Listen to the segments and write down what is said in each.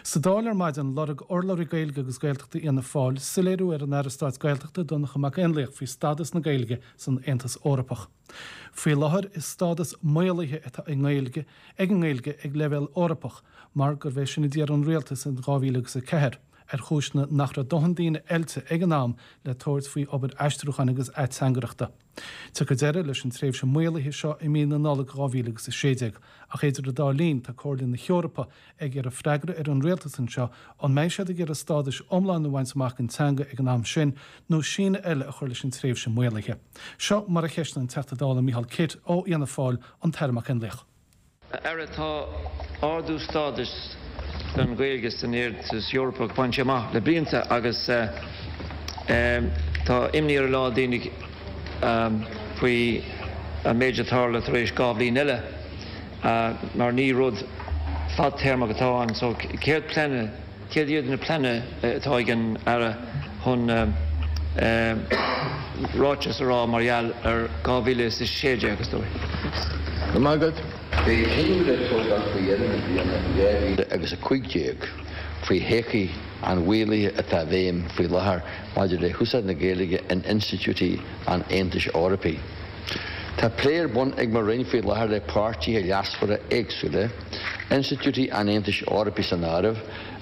Sa Dáil ar maidin, lorg urlabhraí Gaeilge agus Gaeltachta Fhianna Fáil soiléiriú ar an Aire Stáit Gaeltachta, Donncha Mac Fhionnlaoich faoi stádas na Gaeilge san Aontas Eorpach. Faoi láthair is stádas maolaithe atá ag nGaeilge ag an nGaeilge ag leibhéal Eorpach mar gurbh é sin a d'iarr an rialtas in 2004, ar chúiseanna nach raibh dóthain daoine oilte ag an am le tabhairt faoi obair aistriúcháin agus ateangaireachta. Tiocfaidh deireadh leis an tréimhse maolaithe seo i mí na Nollag 2016, ach idir an dá linn tá Comhairle na hEorpa ag iarraidh freagra ar an rialtas anseo an mbeidh siad ag iarraidh stádas iomlán a bhaint amach don teanga ag an am sin nó síneadh eile a chur leis an tréimhse maolaithe. Seo mar a cheistigh an Teachta Dála Micheál Kitt ó Fhianna Fáil an tAire Mac Fhionnlaoich. A Aire, tá ardú stádais don Ghaeilge san Aontas Eorpach bainte amach le blianta agus tá imní ar a lán daoine faoi an méid a tharla tar éis 2 bhliain eile mar ní rud fadtéarmach atá ann. So céard pleananna Céard iad na pleananna atá ag an Aire chun ráiteas a rá mar gheall ar 2016, is dóigh? Go raibh maith agat. Beidh cinneadh le tógáil faoi dheireadh na bliana 2015 faoi thodhchaí an mhaolaithe atá i bhfeidhm faoi láthair maidir le húsáid na Gaeilge in institiúidí an Aontais Eorpaigh. Tá plé ar bun ag mo Roinn faoi láthair le páirtithe leasmhara éagsúla, institiúidí an Aontais Eorpaigh san áireamh,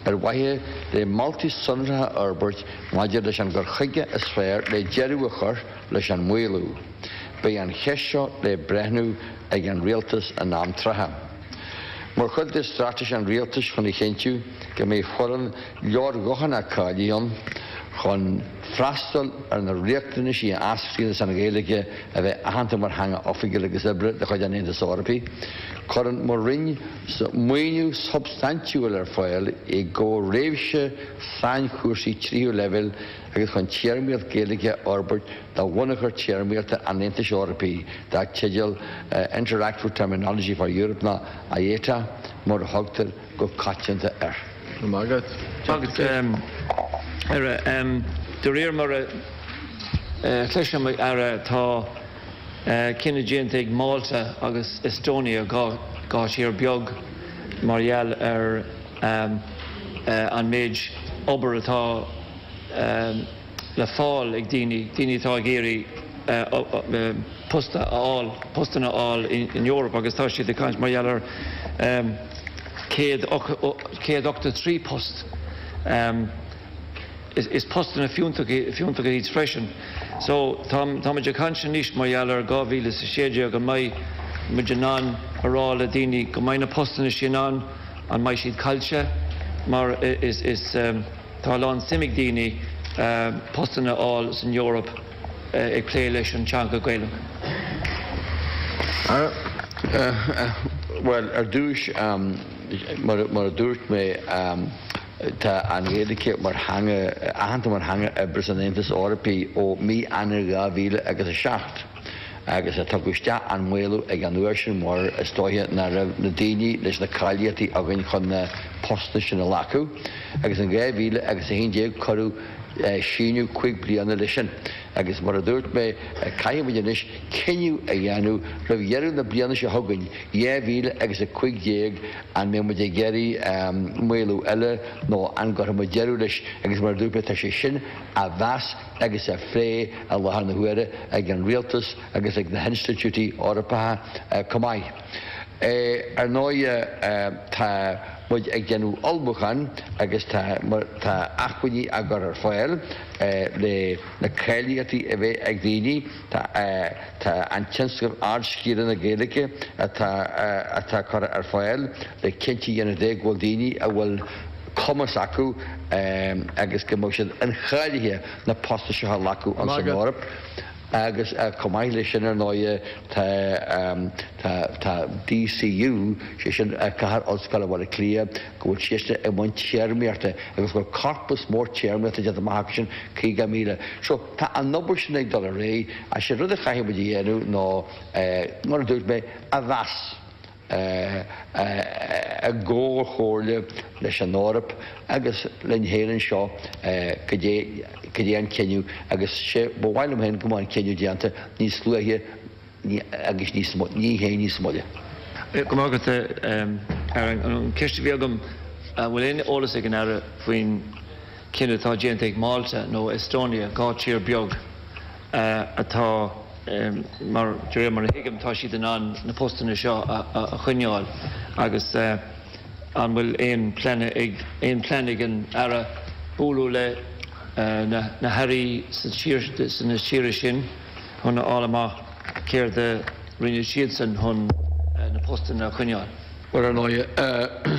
ar mhaithe le moltaí sonracha a fhorbairt maidir leis an gcur chuige is fearr le deireadh a chur leis an maolú. Beidh an cheist seo le breithniú ag an Rialtas in am trátha. Mar chuid de straitéis an Rialtais chun a chinntiú go mbeidh foireann leordhóthanach cáilithe ann chun freastal ar na riachtanaisí a eascraíonn as an Ghaeilge a bheith aitheanta mar theanga oifigiúil agus oibre de chuid an Aontais Eorpaigh, cuireann mo Roinn maoiniú substaintiúil ar fáil i gcomhair réimse sainchúrsaí tríú leibhéal agus chun téarmaíocht Ghaeilge a fhorbairt do bhunachar téarmaíochta an Aontais Eorpaigh dar teideal Interactive Terminology for Europe nó IATE mar a thugtar go coitianta air. Go raibh maith agat, a Aire. De réir mar a chloisim, a Aire, tá cinneadh déanta ag Málta agus Estonia, 2 thír beag, mar gheall ar an méid obair atá le fáil ag daoine, daoine atá ag iarraidh post a fháil, postanna a fháil in Eoraip agus tá siad ag caint mar gheall ar 183 post. Is postanna fiúntacha iad freisin. So táimid ag caint anois mar gheall ar 2016 an mbeidh muid in ann a rá le daoine go mbeidh na postanna sin ann, an mbeidh siad caillte mar is tá a lán suim ag daoine postanna a fháil san Eoraip ag plé leis an teanga Gaelach. Bhuel, ar dtús, mar a dúirt mé, tá an Ghaeilge mar theanga, aitheanta mar theanga oibre san Aontas Eorpaigh ó mí Eanáir 2007 agus tugadh isteach an maolú ag an uair sin mar is dóiche nach raibh na daoine leis na cáilíochtaí againn chun na postanna sin a ghlacadh agus in 2011 cuireadh síneadh 5 bliana leis sin agus mar a dúirt mé caithfidh muid anois cinneadh a dhéanamh roimh dheireadh na bliana seo chugainn, 2015, an mbeidh muid ag iarraidh maolú eile nó an gcuirfidh muid deireadh leis agus mar a dúirt mé tá sé sin á mheas agus á phlé i láthair na huaire ag an Rialtas agus ag na hinstitiúidí Eorpacha chomh maith. Ar ndóigh tá muid ag déanamh ullmhúcháin agus tá tá acmhainní á gcur ar fáil le na cáilíochtaí a bheith ag daoine. Tá tá an tionscnamh Ardscileanna Gaeilge atá atá curtha ar fáil le cinnte a dhéanamh de go bhfuil daoine a bhfuil cumas acu agus go mbeidh siad incháilithe na postanna seo a ghlacadh san Eoraip. Agus chomh maith leis sin ar ndóighe tá tá tá DCU, sé sin Cathair Ollscoile Bhaile Átha Cliath, go bhfuil siadsan i mbun téarmaíochta agus go bhfuil corpas mór téarmaíochta déanta amach acu sin, 50,000. So tá an obair sin ag dul ar aghaidh ach sé rud a chaithfidh muid a dhéanamh ná mar a dúirt mé, a mheas. i gcomhchomhairle leis an Eoraip agus linn féin anseo cad é cad é an cinneadh agus sé ba mhaith liom féin go mbeadh an cinneadh déanta níos luaithe agus níos ní hé níos moille. Go raibh maith agat, a Aire. An ceist a bhí agam. An bhfuil aon eolas ag an Aire faoin chinneadh atá déanta ag Malta nó Estonia, 2 tír beag atá, mar, de réir mar a thuigim, tá siad in ann na postanna seo a choinneáil agus an bhfuil aon plean ag aon plean ag an Aire bualadh le na hairí sa tír sna tíortha sin chun a fháil amach céard a rinne siadsan chun na postanna a choinneáil? Bhuel, ar ndóigh,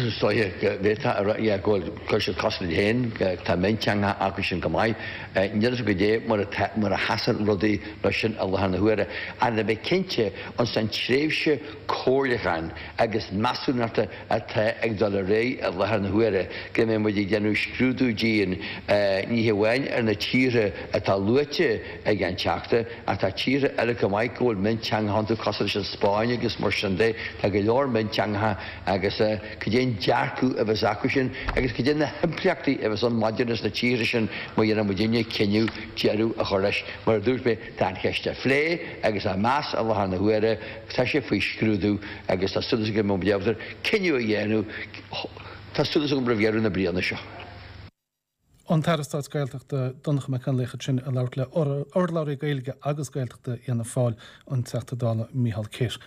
is dóiche go bhféadfá a rá, yeah, go bhfuil, chuir siad cos leo féin, tá mionteanga acu sin go maith. Níl a fhios agam goidé mar atá, mar a sheasann rudaí leis sin i láthair na huaire. Ach le bheith cinnte, ins an tréimhse comhairliúcháin agus measúnachta atá ag dul ar aghaidh i láthair na huaire, go mbeidh muid ag déanamh scrúdú dian, ní hamháin ar na tíortha atá luaite ag an Teachta, Ach tá tíortha eile chomh maith go bhfuil mionteangacha iontu, cosúil leis an Spáinn agus mar sin de. Tá go leor mionteangacha agus cad é an dearcadh a bheas acu sin agus cad é na himpleachtaí a bheas ann maidir leis na tíortha sin má dhéanann muidinne cinneadh deireadh a chur leis. Mar a dúirt mé, tá an cheist á phlé agus á meas i láthair na huaire, tá sé faoi scrúdú agus tá súil agam go mbeidh muid ábalta cinneadh a dhéanamh, tá súil agam roimh dheireadh na bliana seo. An tAire Stáit Gaeltachta, Donncha Mac Fhionnlaoich ansin ag labhairt le urlabhraí Gaeilge agus Gaeltachta Fhianna Fáil, an Teachta Dála Micheál Kitt.